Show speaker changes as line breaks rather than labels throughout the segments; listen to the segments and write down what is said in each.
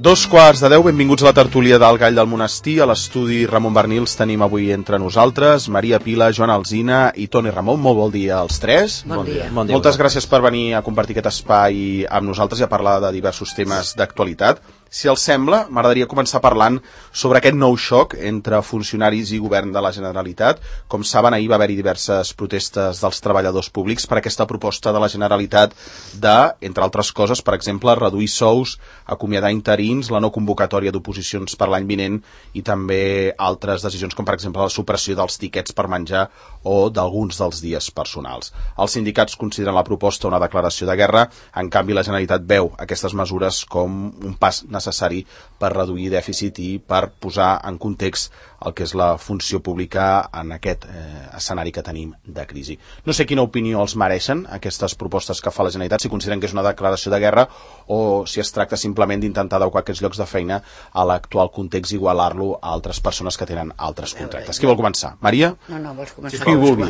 2:15, benvinguts a la tertúlia del Gall del Monestir. A l'estudi Ramon Bernils tenim avui entre nosaltres Maria Pila, Joan Alsina i Toni Ramon. Molt bon dia als tres.
Bon dia.
Moltes gràcies per venir a compartir aquest espai amb nosaltres i a parlar de diversos temes d'actualitat. Si els sembla, m'agradaria començar parlant sobre aquest nou xoc entre funcionaris i govern de la Generalitat. Com saben, ahir va haver-hi diverses protestes dels treballadors públics per aquesta proposta de la Generalitat de, entre altres coses, per exemple, reduir sous, acomiadar interins, la no convocatòria d'oposicions per l'any vinent i també altres decisions com, per exemple, la supressió dels tiquets per menjar o d'alguns dels dies personals. Els sindicats consideren la proposta una declaració de guerra, en canvi la Generalitat veu aquestes mesures com un pas necessari per reduir dèficit i per posar en context el que és la funció pública en aquest escenari que tenim de crisi. No sé quina opinió els mereixen aquestes propostes que fa la Generalitat, si consideren que és una declaració de guerra o si es tracta simplement d'intentar adequar aquests llocs de feina a l'actual context i igualar-lo a altres persones que tenen altres contractes. Qui vol començar? Maria?
No, vols començar?
Qui vulgui.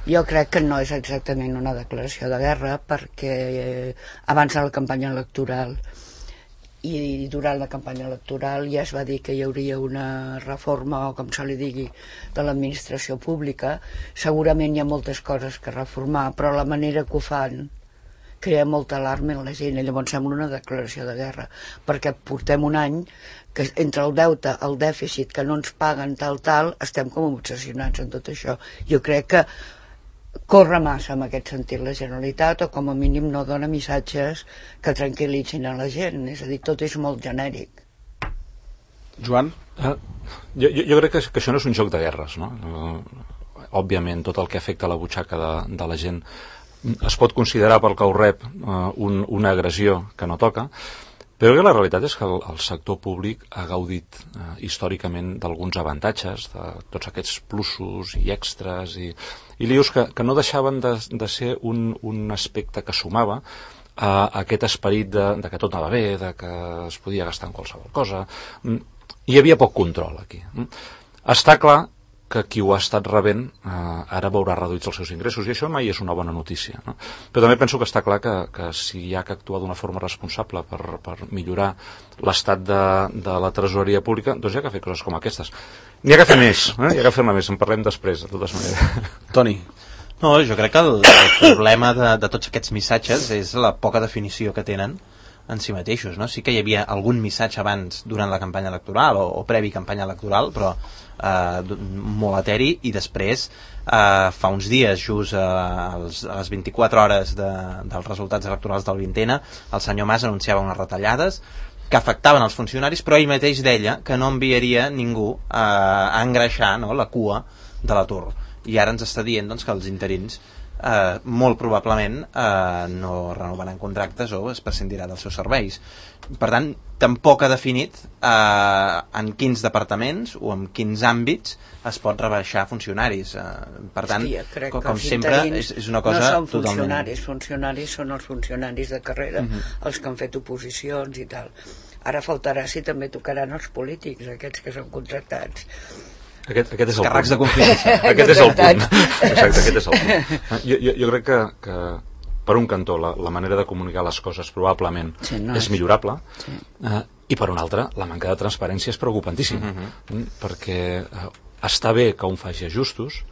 Jo crec que no és exactament una declaració de guerra perquè abans de la campanya electoral i durant la campanya electoral ja es va dir que hi hauria una reforma, o com se li digui, de l'administració pública. Segurament hi ha moltes coses que reformar, però la manera que ho fan crea molta alarma en la gent, i llavors sembla una declaració de guerra, perquè portem un any que entre el deute, el dèficit, que no ens paguen tal, estem com obsessionats en tot això. Jo crec que corre massa en aquest sentit la Generalitat, o com a mínim no dona missatges que tranquil·litzin a la gent, és a dir, tot és molt genèric.
Joan?
Jo crec que això no és un joc de guerres, no? Òbviament tot el que afecta a la butxaca de la gent es pot considerar pel que ho rep una agressió que no toca, però la realitat és que el sector públic ha gaudit històricament d'alguns avantatges, de tots aquests plusos i extras i lius que no deixaven de ser un aspecte que sumava a aquest esperit de que tot anava bé, de que es podia gastar en qualsevol cosa. Hi havia poc control aquí. Està clar que qui ho ha estat rebent ara veurà reduïts els seus ingressos, i això mai és una bona notícia, no? Però també penso que està clar que si hi ha que actuar d'una forma responsable per millorar l'estat de la tresoreria pública, doncs hi ha que fer coses com aquestes. N'hi ha que fer més, hi ha que fer-ne més, en parlem després, de totes maneres.
Toni?
No, jo crec que el problema de tots aquests missatges és la poca definició que tenen en si mateixos, no? Sí que hi havia algun missatge abans durant la campanya electoral o previ campanya electoral, però molt eteri, i després fa uns dies, just a les 24 hores dels resultats electorals del 20ena, el senyor Mas anunciava unes retallades que afectaven els funcionaris, però ell mateix deia que no enviaria ningú a engreixar, no, la cua de l'atur, i ara ens està dient, doncs, que els interins molt probablement no renovaran contractes o es prescindirà dels seus serveis. Per tant, tampoc ha definit en quins departaments o en quins àmbits es pot rebaixar funcionaris. Per tant, com sempre, és una cosa
no són
totalment...
funcionaris són els funcionaris de carrera, els que han fet oposicions i tal. Ara faltarà si també tocaran els polítics, aquests que són contractats.
Aquest és el
càrrecs
punt.
de confiança.
Aquest és el punt. Exacte, aquest és el punt. Jo crec que per un cantó la manera de comunicar les coses probablement és millorable, i per un altre la manca de transparència és preocupantíssima, perquè està bé que un faci ajustos,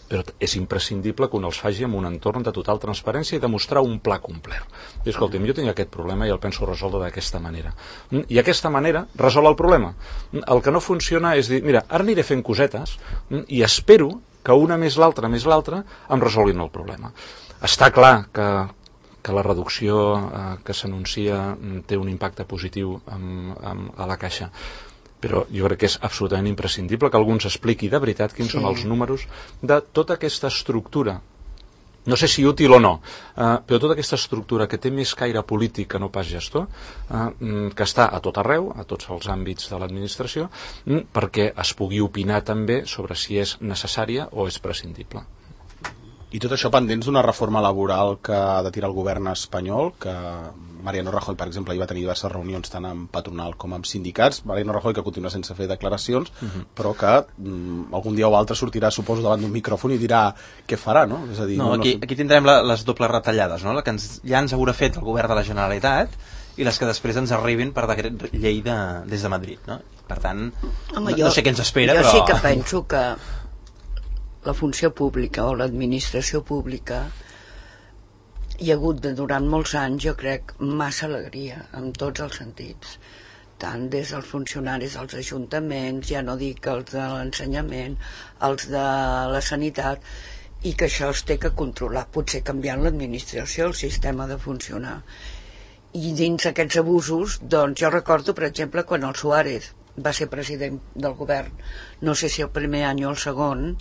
però és imprescindible que un els faci en un entorn de total transparència i demostrar un pla complet. I escolta'm, jo tinc aquest problema i el penso resoldre d'aquesta manera. I aquesta manera resol el problema. El que no funciona és dir, mira, ara aniré fent cosetes i espero que una més l'altra em resolguin el problema. Està clar que la reducció que s'anuncia té un impacte positiu a la Caixa, però jo crec que és absolutament imprescindible que algú ens expliqui de veritat quins són els números de tota aquesta estructura, no sé si útil o no, però tota aquesta estructura que té més caire polític que no pas gestor, que està a tot arreu, a tots els àmbits de l'administració, perquè es pugui opinar també sobre si és necessària o és prescindible.
I tot això pendents d'una reforma laboral que ha de tirar el govern espanyol, que Mariano Rajoy, per exemple, hi va tenir diverses reunions tant amb patronal com amb sindicats. Mariano Rajoy, que continua sense fer declaracions, però que algun dia o altre sortirà, suposo, davant d'un micròfon i dirà què farà, no? És a dir,
aquí tindrem les dobles retallades, no? La que ja ens haurà fet el govern de la Generalitat i les que després ens arribin per decret llei des de Madrid, no? Per tant, no sé què ens espera,
jo
però...
sí que penso que la funció pública o l'administració pública hi ha hagut durant molts anys, jo crec, massa alegria en tots els sentits, tant des dels funcionaris dels ajuntaments, ja no dic els de l'ensenyament, els de la sanitat, i que això es té que controlar, potser canviant l'administració, el sistema de funcionar. I dins aquests abusos, doncs jo recordo, per exemple, quan el Suárez va ser president del govern, no sé si el primer any o el segon,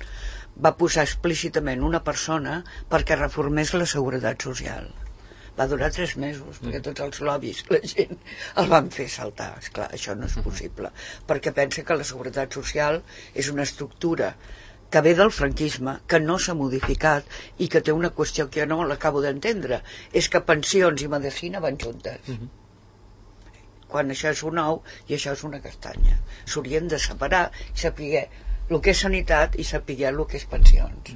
va posar explícitament una persona perquè reformés la seguretat social. Va durar 3 mesos, perquè tots els lobbies, la gent el van fer saltar. Esclar, això no és possible, perquè pensa que la seguretat social és una estructura que ve del franquisme, que no s'ha modificat i que té una qüestió que jo no l'acabo d'entendre, és que pensions i medicina van juntes. Quan això és un ou i això és una castanya. S'haurien de separar i saber el que és sanitat i saber el que és pensions.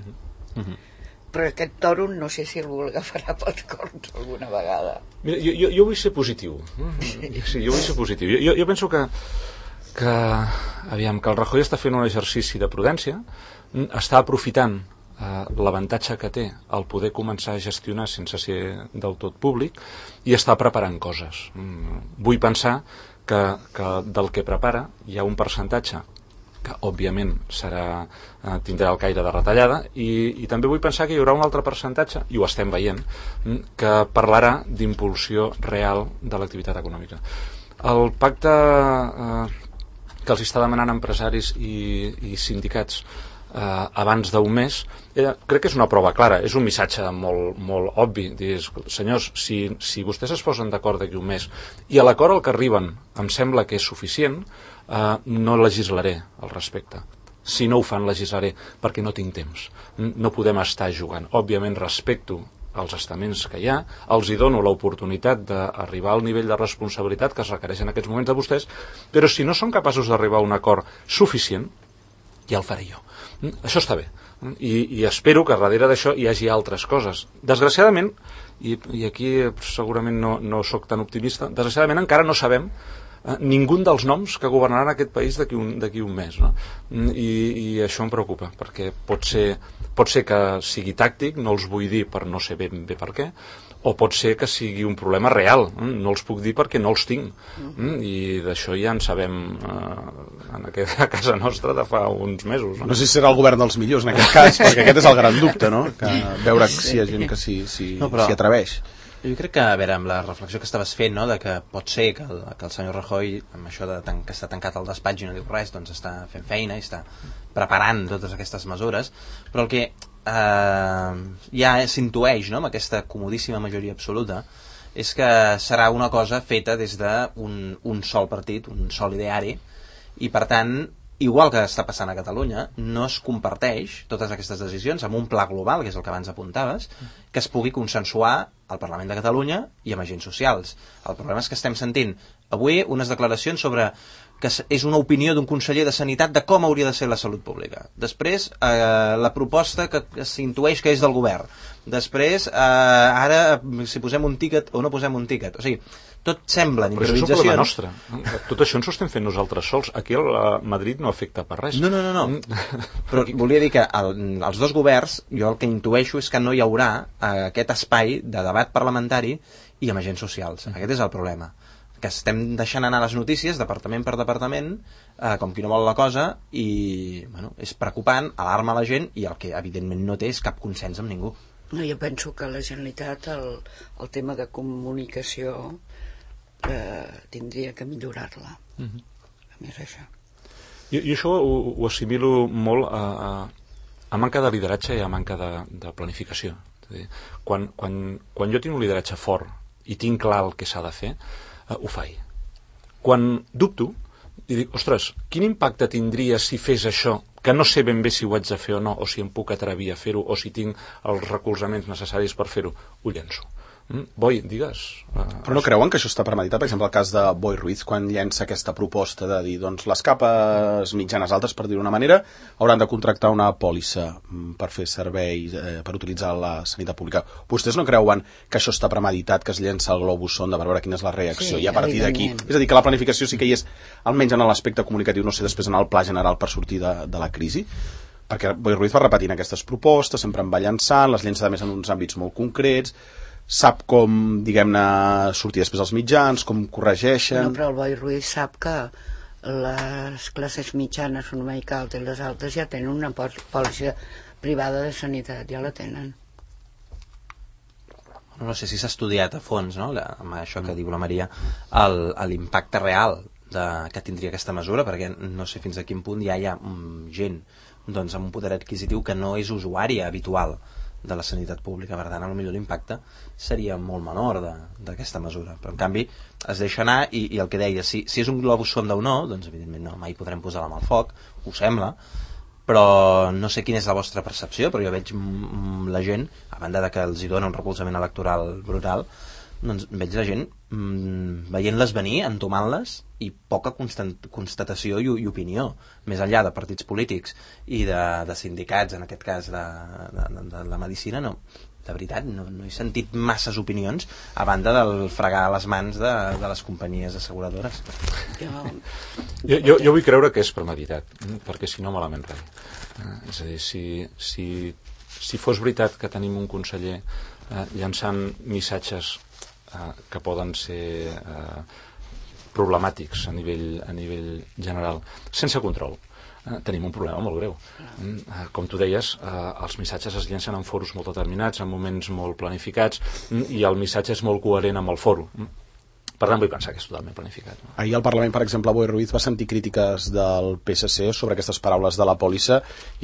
Però aquest toro no sé si el agafarà pels corns alguna vegada.
Mira, jo vull ser positiu. Sí, jo vull ser positiu. Jo penso que aviam, que el Rajoy està fent un exercici de prudència, està aprofitant l'avantatge que té el poder començar a gestionar sense ser del tot públic i està preparant coses. Vull pensar que del que prepara hi ha un percentatge que òbviament tindrà el caire de retallada i també vull pensar que hi haurà un altre percentatge, i ho estem veient, que parlarà d'impulsió real de l'activitat econòmica. El pacte que els està demanant empresaris i sindicats abans d'un mes, crec que és una prova clara, és un missatge molt, molt obvi, dir, senyors, si vostès es posen d'acord d'aquí un mes i a l'acord al que arriben em sembla que és suficient, no legislaré al respecte. Si no ho fan, legislaré, perquè no tinc temps. No podem estar jugant. Òbviament respecto els estaments que hi ha, els hi dono l'oportunitat d'arribar al nivell de responsabilitat que es requereix en aquests moments de vostès, però si no són capaços d'arribar a un acord suficient, ja el faré jo. Això està bé. I espero que darrere d'això hi hagi altres coses. Desgraciadament, i aquí segurament no sóc tan optimista, desgraciadament encara no sabem ningú dels noms que governaran aquest país d'aquí un mes, no? I això em preocupa, perquè pot ser que sigui tàctic, no els vull dir per no sé ben bé per què, o pot ser que sigui un problema real, no els puc dir perquè no els tinc, i d'això ja en sabem a casa nostra de fa uns mesos.
No sé si serà el govern dels millors en aquest cas, perquè aquest és el gran dubte, no? Que veure si hi ha gent que s'hi atreveix.
Jo crec que, a veure, amb la reflexió que estaves fent, no?, de que pot ser que el senyor Rajoy, amb això que està tancat al despatx i no diu res, doncs està fent feina i està preparant totes aquestes mesures, però el que ja s'intueix, no?, amb aquesta comodíssima majoria absoluta, és que serà una cosa feta des d'un sol partit, un sol ideari, i per tant, igual que està passant a Catalunya, no es comparteix totes aquestes decisions amb un pla global, que és el que abans apuntaves, que es pugui consensuar al Parlament de Catalunya i amb agents socials. El problema és que estem sentint avui unes declaracions sobre que és una opinió d'un conseller de Sanitat de com hauria de ser la salut pública. Després, la proposta que s'intueix que és del govern. Després, ara, si posem un tíquet o no posem un tíquet. O sigui, tot semblen improvisacions.
Però això és un problema nostre. Tot això ens ho estem fent nosaltres sols. Aquí a Madrid no afecta per res.
No. Però volia dir que els dos governs, jo el que intueixo és que no hi haurà aquest espai de debat parlamentari i amb agents socials. Aquest és el problema. Que estem deixant anar les notícies departament per departament, com qui no vol la cosa, i bueno, és preocupant, alarma la gent, i el que evidentment no té és cap consens amb ningú.
No, jo penso que la Generalitat el tema de comunicació tindria que millorar-la. A més això.
Jo això ho assimilo molt a manca de lideratge i a manca de planificació. És a dir, quan jo tinc un lideratge fort i tinc clar el que s'ha de fer, ho faig. Quan dubto i dic, ostres, quin impacte tindria si fes això, que no sé ben bé si ho haig de fer o no, o si em puc atrevir a fer-ho, o si tinc els recolzaments necessaris per fer-ho, ho llenço. Boi, digues.
Però no creuen que això està premeditat? Per exemple, el cas de Boi Ruiz, quan llença aquesta proposta de dir, doncs, les capes mitjanes altes, per dir-ho d'una manera, hauran de contractar una pòlissa per fer serveis, per utilitzar la sanitat pública. Vostès no creuen que això està premeditat, que es llença el globus sonda per veure quina és la reacció?
Sí,
i a partir d'aquí... És a dir, que la planificació sí que hi és, almenys en l'aspecte comunicatiu, no sé, després en el pla general per sortir de la crisi, perquè Boi Ruiz va repetint aquestes propostes, sempre en va llançant, les llença a més en uns àmbits molt concrets, sap com, diguem-ne, sortir després als mitjans, com corregeixen...
No, però el Boi Ruiz sap que les classes mitjanes, una mica alta i les altes, ja tenen una pòlissa privada de sanitat, ja la tenen.
No sé si s'ha estudiat a fons, no?, amb això que diu la Maria, l'impacte real que tindria aquesta mesura, perquè no sé fins a quin punt ja hi ha gent doncs, amb un poder adquisitiu que no és usuària habitual de la sanitat pública, per tant, potser l'impacte seria molt menor d'aquesta mesura, però en canvi es deixa anar i el que deia, si és un globus sonda o no, doncs evidentment no, mai podrem posar la mà al foc, ho sembla, però no sé quina és la vostra percepció, però jo veig la gent, a banda de que els hi dona un recolzament electoral brutal, doncs veig la gent veient-les venir, entomant-les, i poca constatació i opinió, més enllà de partits polítics i de sindicats, en aquest cas de la medicina, no, de veritat, no he sentit masses opinions a banda del fregar les mans de les companyies asseguradores.
Jo vull creure que és premeditat, perquè si no malament res. És a dir, si fos veritat que tenim un conseller llançant missatges que poden ser problemàtics a nivell general, sense control, tenim un problema molt greu. Com tu deies, els missatges es llencen en foros molt determinats, en moments molt planificats, i el missatge és molt coherent amb el foro. Per tant, vull pensar que és totalment planificat.
Ahir al Parlament, per exemple, Boi Ruiz va sentir crítiques del PSC sobre aquestes paraules de la pòlissa,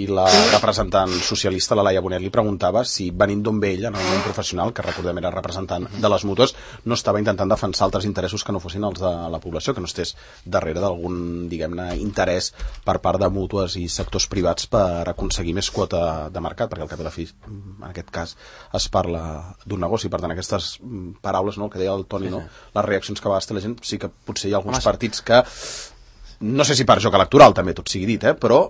i la representant socialista, la Laia Bonet, li preguntava si, venint d'on ve ella, en el món professional, que recordem era representant de les mútues, no estava intentant defensar altres interessos que no fossin els de la població, que no estés darrere d'algun, diguem-ne, interès per part de mútues i sectors privats per aconseguir més quota de mercat, perquè al cap i a la fi, en aquest cas, es parla d'un negoci. Per tant, aquestes paraules, no, el que deia el Toni, no, les reaccions que va estar la gent, sí que potser hi ha alguns partits que, no sé si per joc electoral també tot sigui dit, però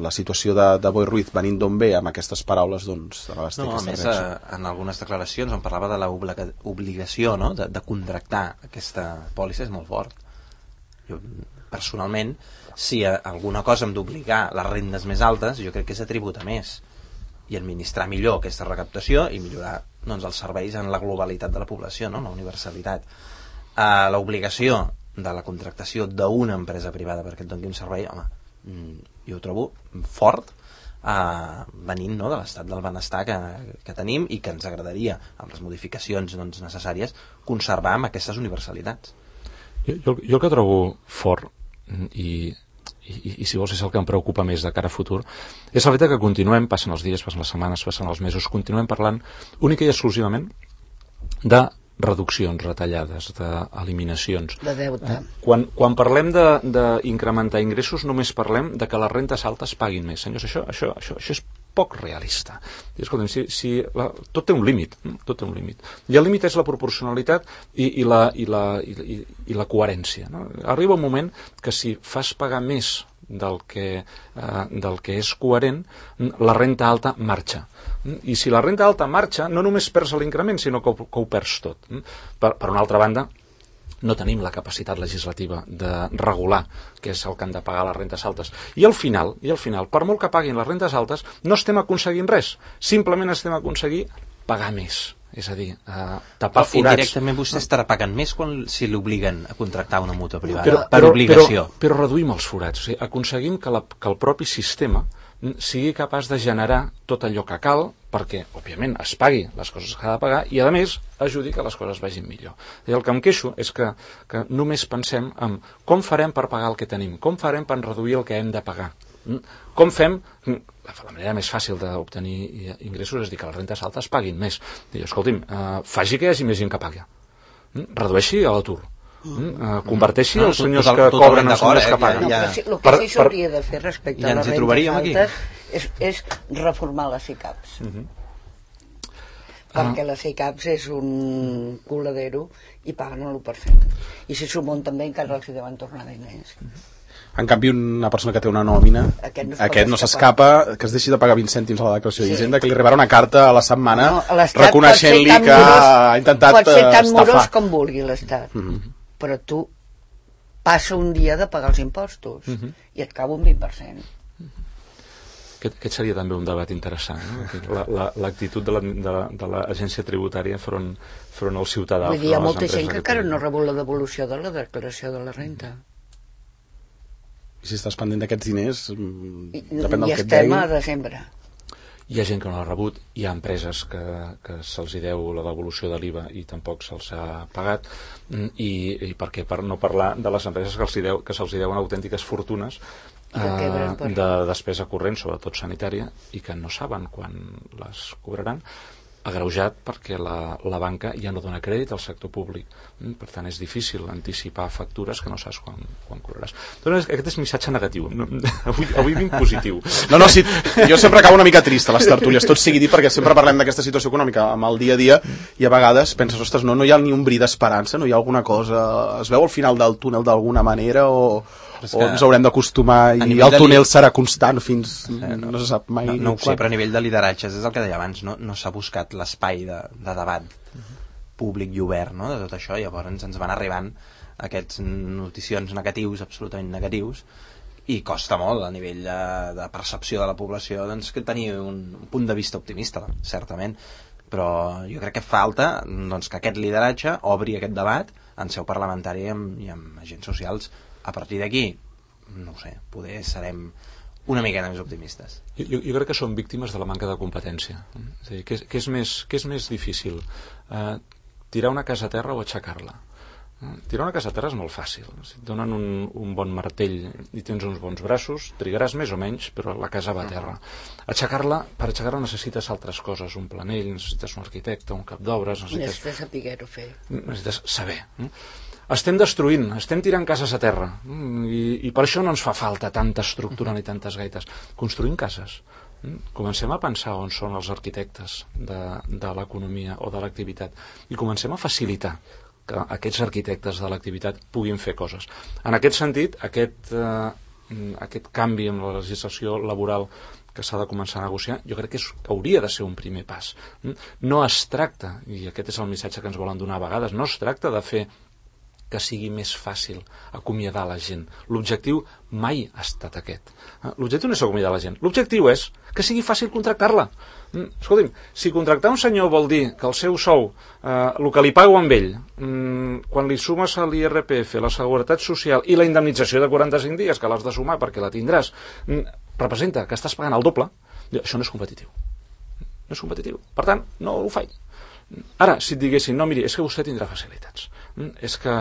la situació de Boi Ruiz venint d'on ve amb aquestes paraules, doncs de vegades té aquesta reacció.
En algunes declaracions on parlava de l'obligació, no?, de contractar aquesta pòlissa és molt fort. Jo, personalment, si alguna cosa hem d'obligar les rendes més altes, jo crec que és a tributar més i administrar millor aquesta recaptació i millorar, doncs, els serveis en la globalitat de la població, no?, la universalitat. L'obligació de la contractació d'una empresa privada perquè et doni un servei, home, jo ho trobo fort, venint, no?, de l'estat del benestar que tenim i que ens agradaria, amb les modificacions, doncs, necessàries, conservar amb aquestes universalitats.
Jo el que trobo fort, i si vols és el que em preocupa més de cara a futur, és el fet que continuem, passen els dies, passen les setmanes, passen els mesos, continuem parlant única i exclusivament de reduccions, retallades, d'eliminacions.
De deute.
Quan parlem d'incrementar ingressos, només parlem de que les rentes altes paguin més. Senyors, això és poc realista. Escolta'm, tot té un límit, tot té un límit. I el límit és la proporcionalitat i la coherència, no? Arriba un moment que si fas pagar més del que és coherent, la renta alta marxa. I si la renta alta marxa, no només perds l'increment, sinó que ho perds tot. Per una altra banda, no tenim la capacitat legislativa de regular què és el que han de pagar les rentes altes. I al final, per molt que paguin les rentes altes, no estem aconseguint res. Simplement estem aconseguint pagar més. És a dir, tapar forats.
Indirectament vostè estarà pagant més si l'obliguen a contractar una mútua privada, per obligació.
Però reduïm els forats. O sigui, aconseguim que el propi sistema sigui capaç de generar tot allò que cal perquè, òbviament, es pagui les coses que ha de pagar i, a més, ajudi que les coses vagin millor. I el que em queixo és que només pensem en com farem per pagar el que tenim, com farem per reduir el que hem de pagar, com fem... La manera més fàcil d'obtenir ingressos és dir que les rentes altes paguin més. Escolti'm, faci que hi hagi més gent que pagui. Redueixi l'atur. Converteixi els senyors que cobren els senyors que paguen.
El que sí s'hauria de fer respecte a les rentes altes és reformar les ICAPs. perquè la CICAPS és un coladero i paguen l'1%. I si s'ho munten bé encara els deuen tornar diners.
En canvi, una persona que té una nòmina, aquest no s'escapa, que es deixi de pagar 20 cèntims a la declaració d'Hisenda, que li arribarà una carta a la setmana reconeixent-li que ha intentat estafar.
Pot ser tan morós com vulgui l'Estat, però tu passa un dia de pagar els impostos i et cau un 20%.
Aquest seria també un debat interessant, no? L'actitud de l'agència tributària front al ciutadà.
Vull dir, hi ha molta gent que encara no ha rebut la devolució de la declaració de la renta.
I si estàs pendent d'aquests diners, depèn del que et deguin.
I estem a desembre.
Hi ha gent que no l'ha rebut, hi ha empreses que se'ls deu la devolució de l'IVA i tampoc se'ls ha pagat, i per què? Per no parlar de les empreses que se'ls deuen autèntiques fortunes de despesa corrent, sobretot sanitària, i que no saben quan les cobraran, agreujat perquè la banca ja no dona crèdit al sector públic. Per tant, és difícil anticipar factures que no saps quan cobraràs. Doncs aquest és missatge negatiu. Avui vinc positiu.
No, sí, jo sempre acabo una mica trist a les tertúlies, tot sigui dit, perquè sempre parlem d'aquesta situació econòmica amb el dia a dia, i a vegades penses, ostres, no hi ha ni un bri d'esperança, no hi ha alguna cosa, es veu al final del túnel d'alguna manera, o ens haurem d'acostumar i el túnel serà constant fins... no se sap mai.
No ho sé, però a nivell de lideratges, és el que deia abans, no s'ha buscat l'espai de debat públic i obert, no?, de tot això. Llavors ens van arribant aquests noticions negatius, absolutament negatius, i costa molt a nivell de percepció de la població doncs, que tenir un punt de vista optimista, certament, però jo crec que falta doncs, que aquest lideratge obri aquest debat en seu parlamentària i amb agents socials. A partir d'aquí, no ho sé, poder serem una miqueta més optimistes.
Jo crec que som víctimes de la manca de competència. És a dir, què és més difícil? Tirar una casa a terra o aixecar-la? Tirar una casa a terra és molt fàcil. Si et donen un bon martell i tens uns bons braços, trigaràs més o menys, però la casa va a terra. Per aixecar-la necessites altres coses, un planell, necessites un arquitecte, un cap d'obres...
Necessites saber-ho fer.
Necessites saber. Estem destruint, estem tirant cases a terra, i per això no ens fa falta tanta estructura ni tantes gaites. Construïm cases. Comencem a pensar on són els arquitectes de l'economia o de l'activitat i comencem a facilitar que aquests arquitectes de l'activitat puguin fer coses. En aquest sentit, aquest canvi en la legislació laboral que s'ha de començar a negociar, jo crec que hauria de ser un primer pas. No es tracta, i aquest és el missatge que ens volen donar a vegades, no es tracta de fer que sigui més fàcil acomiadar la gent. L'objectiu mai ha estat aquest. L'objectiu no és acomiadar la gent. L'objectiu és que sigui fàcil contractar-la. Escolti'm, si contractar un senyor vol dir que el seu sou, el que li pago amb ell, quan li sumes a l'IRPF, la Seguretat Social i la indemnització de 45 dies, que l'has de sumar perquè la tindràs, representa que estàs pagant el doble, això no és competitiu. No és competitiu. Per tant, no ho faig. Ara, si et diguessin, no, miri, és que vostè tindrà facilitats. És que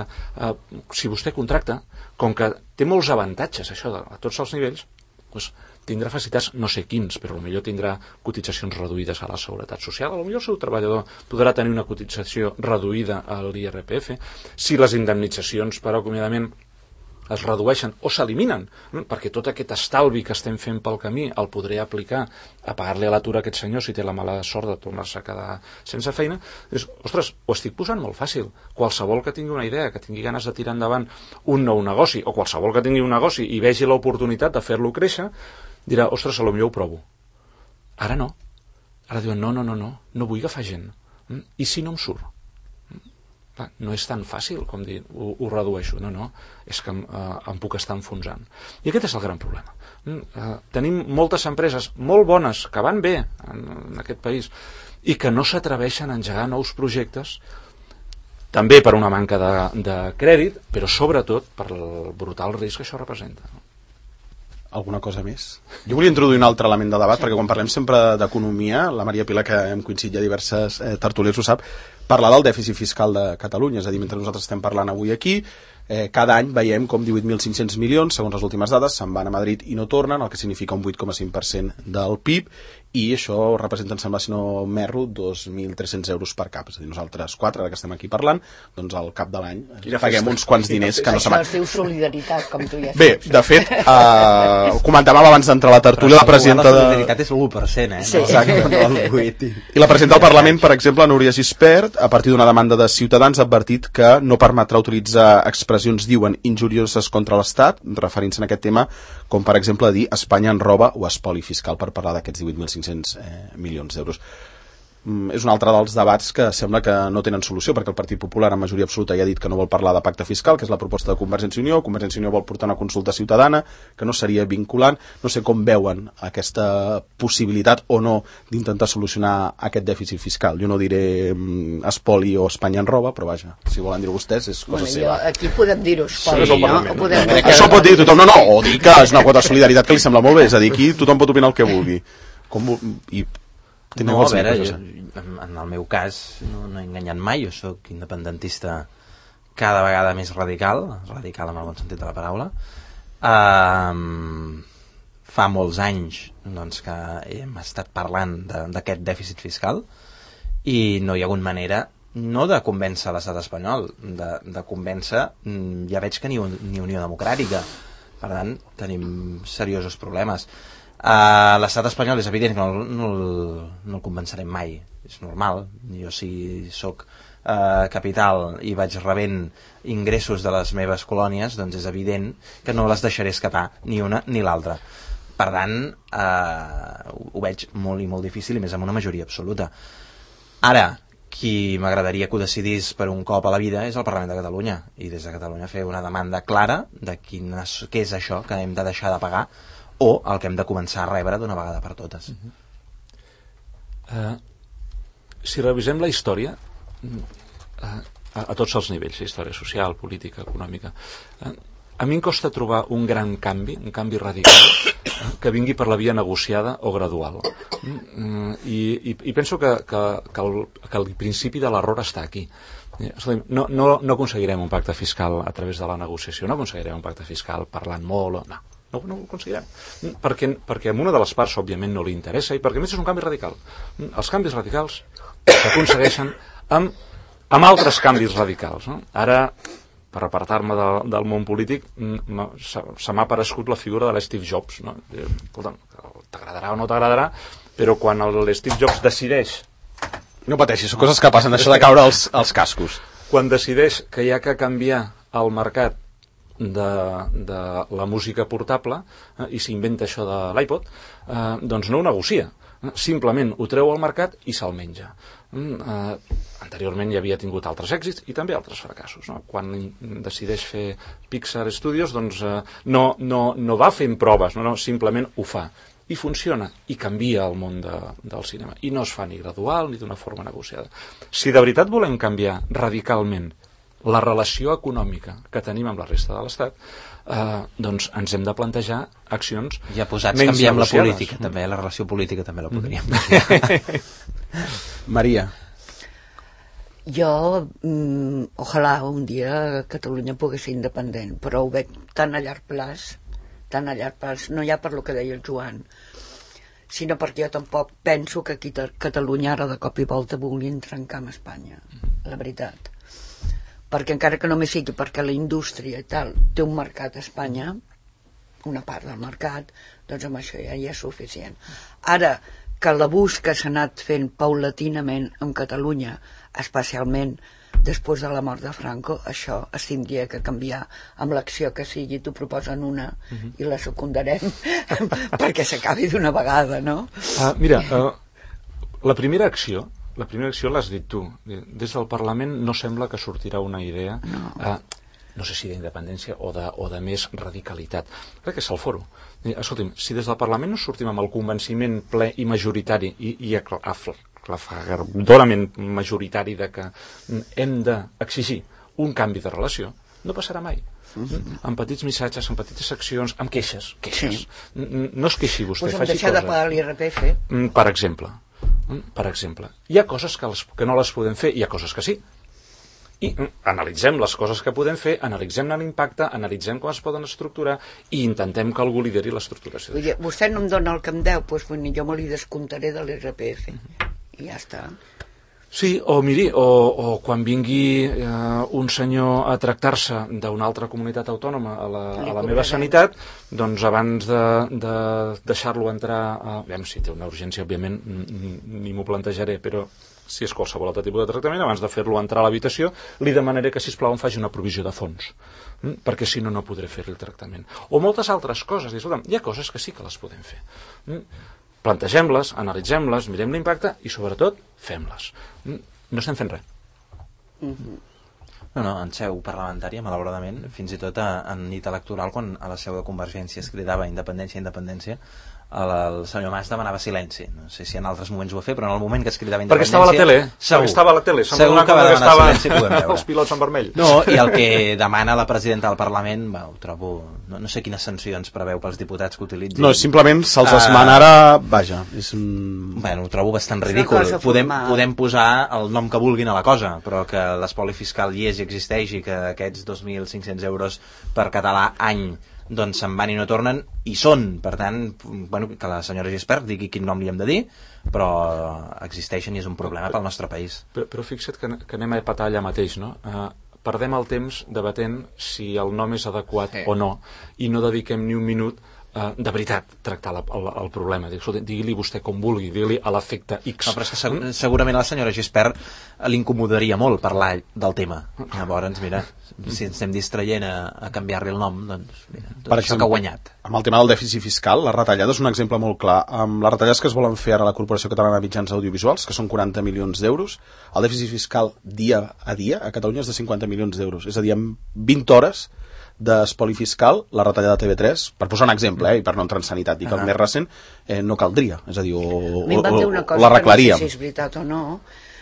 si vostè contracta, com que té molts avantatges això a tots els nivells, doncs tindrà facilitats, no sé quins, però potser tindrà cotitzacions reduïdes a la Seguretat Social, potser el seu treballador podrà tenir una cotització reduïda a l'IRPF, si les indemnitzacions per acomiadament es redueixen o s'eliminen, perquè tot aquest estalvi que estem fent pel camí el podré aplicar a pagar-li a l'atur a aquest senyor si té la mala sort de tornar-se a quedar sense feina. Ostres, ho estic posant molt fàcil. Qualsevol que tingui una idea, que tingui ganes de tirar endavant un nou negoci, o qualsevol que tingui un negoci i vegi l'oportunitat de fer-lo créixer, dirà, ostres, potser ho provo. Ara no. Ara diuen, no vull agafar gent. I si no em surt? No és tan fàcil com dir ho redueixo, no, és que em puc estar enfonsant. I aquest és el gran problema. Tenim moltes empreses molt bones que van bé en aquest país i que no s'atreveixen a engegar nous projectes, també per una manca de crèdit, però sobretot per el brutal risc que això representa.
Alguna cosa més? Jo volia introduir un altre element de debat, perquè quan parlem sempre d'economia, la Maria Pilar, que hem coincidit ja diverses tertúlies, ho sap, parlar del dèficit fiscal de Catalunya, és a dir, mentre nosaltres estem parlant avui aquí, cada any veiem com 18.500 milions, segons les últimes dades, se'n van a Madrid i no tornen, el que significa un 8,5% del PIB, i això representa, em sembla, si no m'erro, 2.300 euros per cap. És a dir, nosaltres 4, ara que estem aquí parlant, doncs al cap de l'any paguem uns quants diners que no se
Això es diu solidaritat, com tu ja saps.
Bé, de fet, comentàvem abans d'entrar a la tertúlia la presidenta
la solidaritat és l'1%,
Sí.
Exacte.
No el 8.
I la presidenta del Parlament, per exemple, Núria Gispert, a partir d'una demanda de Ciutadans, ha advertit que no permetrà utilitzar expressions, diuen, injurioses contra l'Estat, referint-se en aquest tema, com per exemple dir Espanya en roba o espoli fiscal, per parlar d'aquests 18.500 milions d'euros. És un altre dels debats que sembla que no tenen solució, perquè el Partit Popular en majoria absoluta ja ha dit que no vol parlar de pacte fiscal, que és la proposta de Convergència i Unió. Convergència i Unió vol portar una consulta ciutadana que no seria vinculant. No sé com veuen aquesta possibilitat o no d'intentar solucionar aquest dèficit fiscal. Jo no diré espoli o Espanya en roba, però vaja, si volen dir-ho vostès és cosa seva.
Aquí podem dir-ho espoli,
Sí,
no?
Això pot dir tothom, no, o dir que és una quota de solidaritat que li sembla molt bé, és a dir, aquí tothom pot opinar el que vulgui.
No, a veure, en el meu cas no he enganyat mai, jo sóc independentista cada vegada més radical amb el bon sentit de la paraula. Fa molts anys doncs, que hem estat parlant d'aquest dèficit fiscal i no hi ha hagut manera no de convèncer l'estat espanyol, de convèncer, ja veig que ni Unió Democràtica, per tant tenim seriosos problemes. L'estat espanyol és evident que no el convencerem mai, és normal. Jo si sóc capital i vaig rebent ingressos de les meves colònies, doncs és evident que no les deixaré escapar ni una ni l'altra. Per tant, ho veig molt i molt difícil, i més amb una majoria absoluta. Ara, qui m'agradaria que ho decidís per un cop a la vida és el Parlament de Catalunya, i des de Catalunya fer una demanda clara de què és això que hem de deixar de pagar o el que hem de començar a rebre d'una vegada per totes.
Si revisem la història a tots els nivells, història social, política, econòmica, a mi em costa trobar un gran canvi, un canvi radical que vingui per la via negociada o gradual, i penso que el principi de l'error està aquí. No aconseguirem un pacte fiscal a través de la negociació, no aconseguirem un pacte fiscal parlant molt, no ho aconseguirem, perquè a una de les parts òbviament no li interessa, i perquè a més és un canvi radical. Els canvis radicals s'aconsegueixen amb altres canvis radicals, no? Ara, per apartar-me del món polític, se m'ha aparegut la figura de l'Steve Jobs, no? T'agradarà o no t'agradarà, però quan l'Steve Jobs decideix...
No pateixis, són coses que passen, això de caure els cascos.
Quan decideix que hi ha que canviar el mercat de la música portable, i s'inventa això de l'iPod, doncs no ho negocia, simplement ho treu al mercat i se'l menja. Anteriorment ja havia tingut altres èxits i també altres fracassos, no? Quan decideix fer Pixar Studios, doncs no va fent proves, no, simplement ho fa i funciona, i canvia el món del cinema, i no es fa ni gradual ni d'una forma negociada. Si de veritat volem canviar radicalment la relació econòmica que tenim amb la resta de l'Estat, doncs ens hem de plantejar accions
ja posats,
menys
canviem
negociades.
la política també, la relació política també la podríem.
Maria.
Jo, ojalà un dia Catalunya pogués ser independent, però ho veig tan a llarg plaç, no ja per lo que deia el Joan, sinó perquè jo tampoc penso que aquí a Catalunya ara de cop i volta vulguin trencar amb Espanya, la veritat. Perquè encara que només sigui perquè la indústria i tal té un mercat a Espanya, una part del mercat, doncs amb això ja és suficient. Ara, que l'abús que s'ha anat fent paulatinament en Catalunya, especialment després de la mort de Franco, això es tindria que canviar amb l'acció que sigui. T'ho proposen una i la secundarem perquè s'acabi d'una vegada, no?
Mira, la primera acció l'has dit tu. Des del Parlament no sembla que sortirà una idea, no sé si d'independència o de més radicalitat. Crec que és el foro. Escolti'm, si des del Parlament no sortim amb el convenciment ple i majoritari i aclaparadorament majoritari de que hem d'exigir un canvi de relació, no passarà mai. Amb petits missatges, amb petites accions, amb queixes.
Sí.
No es queixi vostè,
Pues
faci
deixar de
coses.
pagar l'IRPF.
Per exemple, hi ha coses que no les podem fer, hi ha coses que sí. i analitzem les coses que podem fer, analitzem l'impacte, analitzem com es poden estructurar i intentem que algú lideri l'estructuració.
Vostè no em dona el que em deu, doncs jo me li descomptaré de l'IRPF i ja està.
Sí, o miri, o quan vingui un senyor a tractar-se d'una altra comunitat autònoma a la meva sanitat, doncs abans de deixar-lo entrar, si té una urgència, òbviament, ni m'ho plantejaré, però si és qualsevol altre tipus de tractament, abans de fer-lo entrar a l'habitació, li demanaré que, sisplau, em faci una provisió de fons, perquè si no, no podré fer-li el tractament. O moltes altres coses. Hi ha coses que sí que les podem fer. Plantegem-les, analitzem-les, mirem l'impacte i, sobretot, fem-les. No estem fent res.
No, en seu parlamentària, malauradament, fins i tot en nit electoral, quan a la seu de Convergència es cridava independència, el senyor Mas demanava silenci. No sé si en altres moments ho va fer, però en el moment que es cridava independència...
Perquè estava a la tele.
Segur que va demanar silenci, podem veure.
Els pilots en vermell.
No, i el que demana la presidenta del Parlament, ho trobo... No sé quines sancions preveu pels diputats que utilitzin.
No, simplement se'ls esmana ara... Vaja, és un...
Ho trobo bastant ridícul. Podem posar el nom que vulguin a la cosa, però que l'espoli fiscal hi és i existeix i que aquests 2.500 euros per català any doncs se'n van i no tornen, i són, per tant, que la senyora Gispert digui quin nom li hem de dir, però existeixen i és un problema pel nostre país.
Però fixa't que anem a patar allà mateix, no? Perdem el temps debatent si el nom és adequat o no, i no dediquem ni un minut de veritat tractar el problema. Digui-li vostè com vulgui, digui-li a l'efecte X.
No, però és que segurament a la senyora Gispert l'incomodaria molt parlar del tema. Llavors, mira, si ens estem distraient a canviar-li el nom, doncs mira, tot això que ha guanyat.
Amb el tema del dèficit fiscal, la retallada és un exemple molt clar. Amb les retallades que es volen fer ara a la Corporació Catalana de Mitjans Audiovisuals, que són 40 milions d'euros, el dèficit fiscal dia a dia a Catalunya és de 50 milions d'euros. És a dir, en 20 hores d'espoli fiscal, la retallada de TV3, per posar un exemple, i per no entrar en sanitat, dic el més recent, no caldria. És a dir, o l'arreglaríem.
No sé si és veritat o no,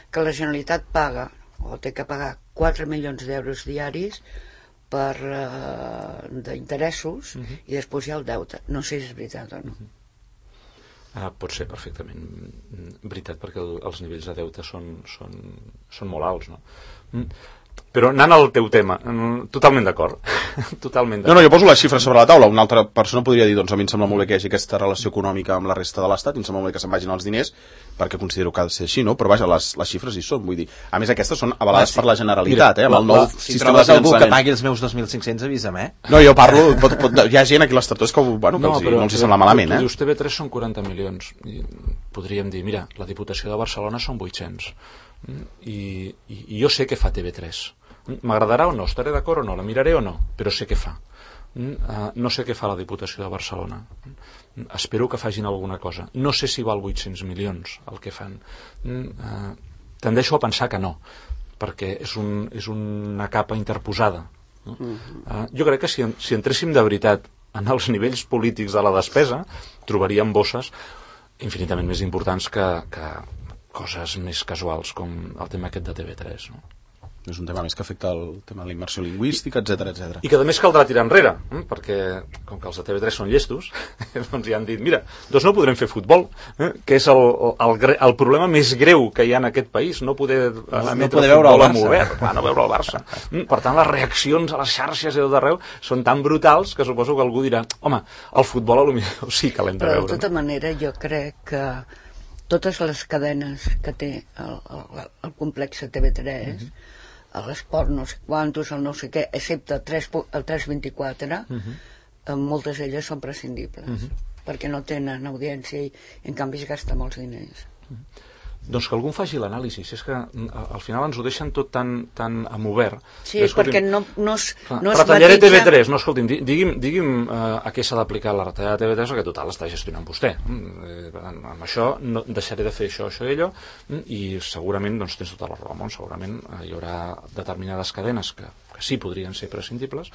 que la Generalitat paga, o té que pagar 4 milions d'euros diaris d'interessos, i després hi ha el deute. No sé si és veritat o no.
Pot ser perfectament veritat, perquè els nivells de deute són molt alts, no? Però anant al teu tema, totalment d'acord.
No, jo poso les xifres sobre la taula. Una altra persona podria dir, doncs a mi em sembla molt bé que hi hagi aquesta relació econòmica amb la resta de l'Estat, i em sembla molt bé que se'n vagin els diners, perquè considero que ha de ser així, no? Però vaja, les xifres hi són, vull dir. A més, aquestes són avalades per la Generalitat, amb el nou
sistema de finançament. Si trobes algú que pagui els meus 2.500, avisa'm,
No, jo parlo, hi ha gent aquí a l'Estató que no els sembla malament,
Dius, TV3 són 40 milions. Podríem dir, mira, la Diputació de Barcelona són 800. I jo sé què fa TV3. M'agradarà o no, estaré d'acord o no, la miraré o no, però sé què fa. No sé què fa la Diputació de Barcelona. Espero que facin alguna cosa. No sé si val 800 milions el que fan. Tendeixo a pensar que no, perquè és una capa interposada. Jo crec que si entréssim de veritat en els nivells polítics de la despesa, trobaríem bosses infinitament més importants que coses més casuals com el tema aquest de TV3, no?
És un tema més que afecta el tema de la immersió lingüística, etc.
I que a més caldrà tirar enrere, perquè com que els de TV3 són llestos, doncs ja han dit, mira, doncs no podrem fer futbol, que és el problema més greu que hi ha en aquest país, no poder emetre futbol amb obert, no veure el Barça. Per tant, les reaccions a les xarxes i tot arreu són tan brutals que suposo que algú dirà, home, el futbol potser sí que l'hem de veure.
Però de tota manera jo crec que totes les cadenes que té el complex TV3, l'esport no sé quantos, el no sé què, excepte el 324, moltes d'elles són prescindibles, perquè no tenen audiència i en canvi es gasta molts diners.
Doncs que algú faci l'anàlisi, és que al final ens ho deixen tot tan amb obert.
Sí, perquè no es
retallaré TV3, no, escolti'm, digui'm a què s'ha d'aplicar la retallada de TV3, perquè total està gestionant vostè. Amb això no deixaré de fer això i allò, i segurament, doncs tens tota la raó del món, segurament hi haurà determinades cadenes que sí podrien ser prescindibles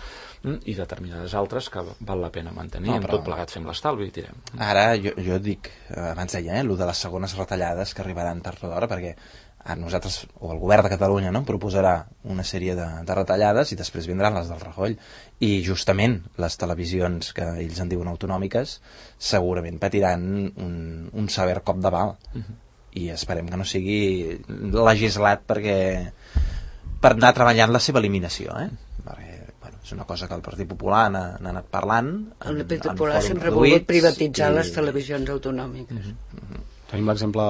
i determinades altres que val la pena mantenir, amb tot plegat fem l'estalvi i tirem.
Ara jo dic, abans deia, el de les segones retallades que arribaran tard o d'hora, perquè nosaltres, o el govern de Catalunya, proposarà una sèrie de retallades i després vindran les del Rajoy, i justament les televisions que ells en diuen autonòmiques segurament patiran un sever cop de bal, i esperem que no sigui legislat perquè per anar treballant la seva eliminació, perquè, bueno, és una cosa que el Partit Popular n'ha anat parlant.
El Partit Popular sempre ha volgut privatitzar les televisions autonòmiques.
Tenim l'exemple,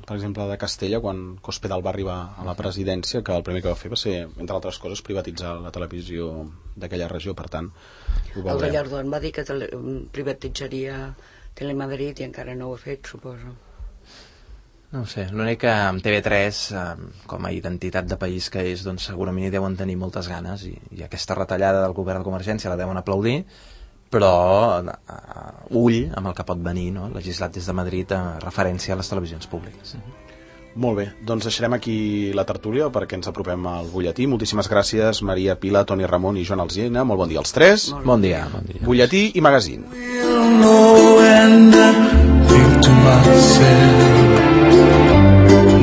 per exemple, de Castella, quan Cospedal va arribar a la presidència, que el primer que va fer va ser, entre altres coses, privatitzar la televisió d'aquella regió, per tant, ho veurem.
El Gallardón va dir que privatitzaria Telemadrid i encara no ho ha fet, suposo.
No ho sé, l'únic que amb TV3, com a identitat de país que és, doncs segurament hi deuen tenir moltes ganes i aquesta retallada del govern de Convergència la deuen aplaudir, però ull amb el que pot venir, no? Legislat des de Madrid a referència a les televisions públiques.
Molt bé, doncs deixarem aquí la tertúlia perquè ens apropem al butlletí. Moltíssimes gràcies, Maria Pila, Toni Ramon i Joan Alsina. Molt bon dia als tres.
Bon dia.
Butlletí i magazín.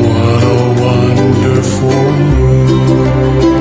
What a wonderful world.